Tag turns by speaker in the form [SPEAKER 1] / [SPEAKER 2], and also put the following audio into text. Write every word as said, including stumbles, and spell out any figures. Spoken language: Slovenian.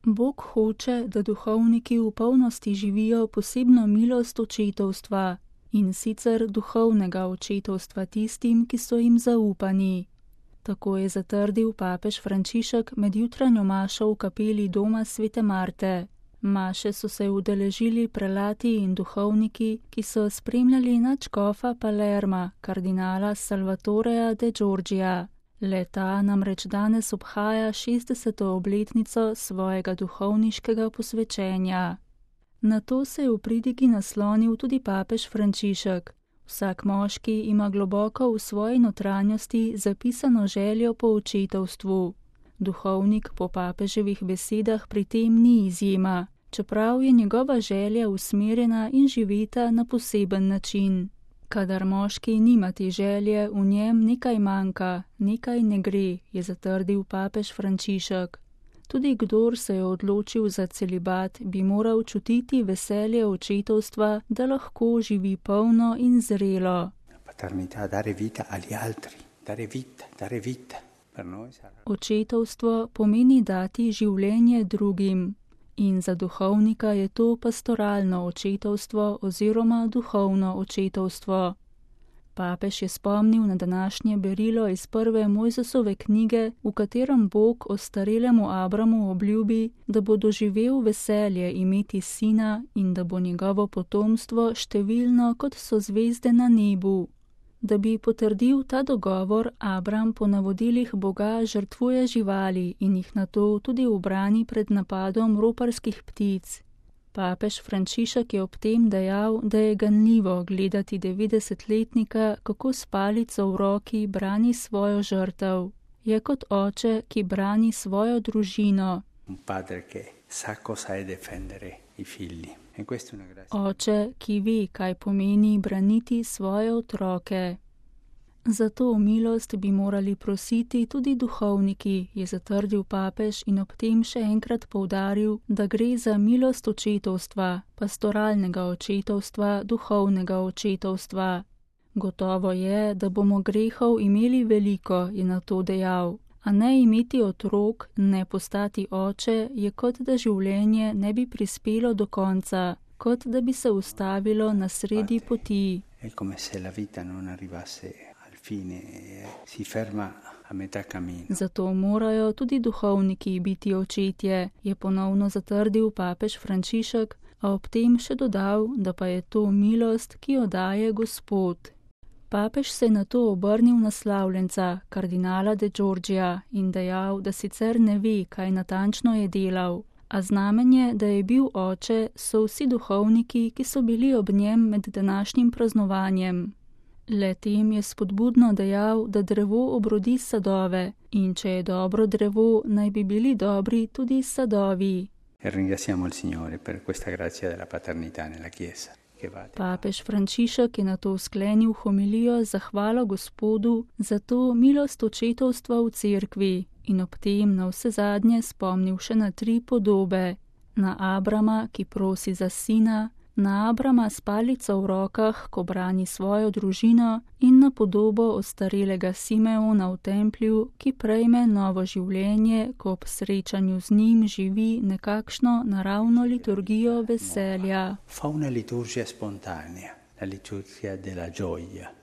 [SPEAKER 1] Bog hoče, da duhovniki v polnosti živijo posebno milost očetovstva, in sicer duhovnega očetovstva tistim, ki so jim zaupani. Tako je zatrdil papež Frančišek med jutranjo mašo v kapeli doma svete Marte. Maše so se udeležili prelati in duhovniki, ki so spremljali nadškofa Palerma, kardinala Salvatoreja de Giorgia. Le-ta namreč danes obhaja šestdeseto obletnico svojega duhovniškega posvečenja. Na to se je v pridigi naslonil tudi papež Frančišek. Vsak moški ima globoko v svoji notranjosti zapisano željo po očetovstvu. Duhovnik po papeževih besedah pri tem ni izjema, čeprav je njegova želja usmerjena in živeta na poseben način. Kadar moški nima te želje, v njem nekaj manjka, nekaj ne gre, je zatrdil papež Frančišek. Tudi kdor se je odločil za celibat, bi moral čutiti veselje očetovstva, da lahko živi polno in zrelo. Očetovstvo pomeni dati življenje drugim. In za duhovnika je to pastoralno očetovstvo oziroma duhovno očetovstvo. Papež je spomnil na današnje berilo iz prve Mojzesove knjige, v katerem Bog ostarelemu Abramu obljubi, da bo doživel veselje imeti sina in da bo njegovo potomstvo številno, kot so zvezde na nebu. Da bi potrdil ta dogovor, Abram po navodilih Boga žrtvuje živali in jih nato tudi ubrani pred napadom roparskih ptic. Papež Frančišek je ob tem dejal, da je ganljivo gledati devetdesetletnika, kako s palico v roki brani svojo žrtev. Je kot oče, ki brani svojo družino. Oče, ki ve, kaj pomeni braniti svoje otroke. Za to milost bi morali prositi tudi duhovniki, je zatrdil papež in ob tem še enkrat poudaril, da gre za milost očetovstva, pastoralnega očetovstva, duhovnega očetovstva. Gotovo je, da bomo grehov imeli veliko, je na to dejal. A ne imeti otrok, ne postati oče, je kot da življenje ne bi prispelo do konca, kot da bi se ustavilo na sredi poti. Zato morajo tudi duhovniki biti očetje, je ponovno zatrdil papež Frančišek, a ob tem še dodal, da pa je to milost, ki jo daje Gospod. Papež se je nato obrnil na slavljenca, kardinala de Giorgia, in dejal, da sicer ne ve, kaj natančno je delal, a znamenje, da je bil oče, so vsi duhovniki, ki so bili ob njem med današnjim praznovanjem. Le-tem je spodbudno dejal, da drevo obrodi sadove, in če je dobro drevo, naj bi bili dobri tudi sadovi. Papež Frančišek je nato sklenil homilijo z zahvalo Gospodu za to milost očetovstva v cerkvi in ob tem na vse zadnje spomnil še na tri podobe. Na Abrama, ki prosi za sina, na Abrama s palico v rokah, ko brani svojo družino, in na podobo ostarelega Simeona v templju, ki prejme novo življenje, ko ob srečanju z njim živi nekakšno naravno liturgijo veselja.
[SPEAKER 2] Fa una liturgia spontanea, la liturgia della gioia.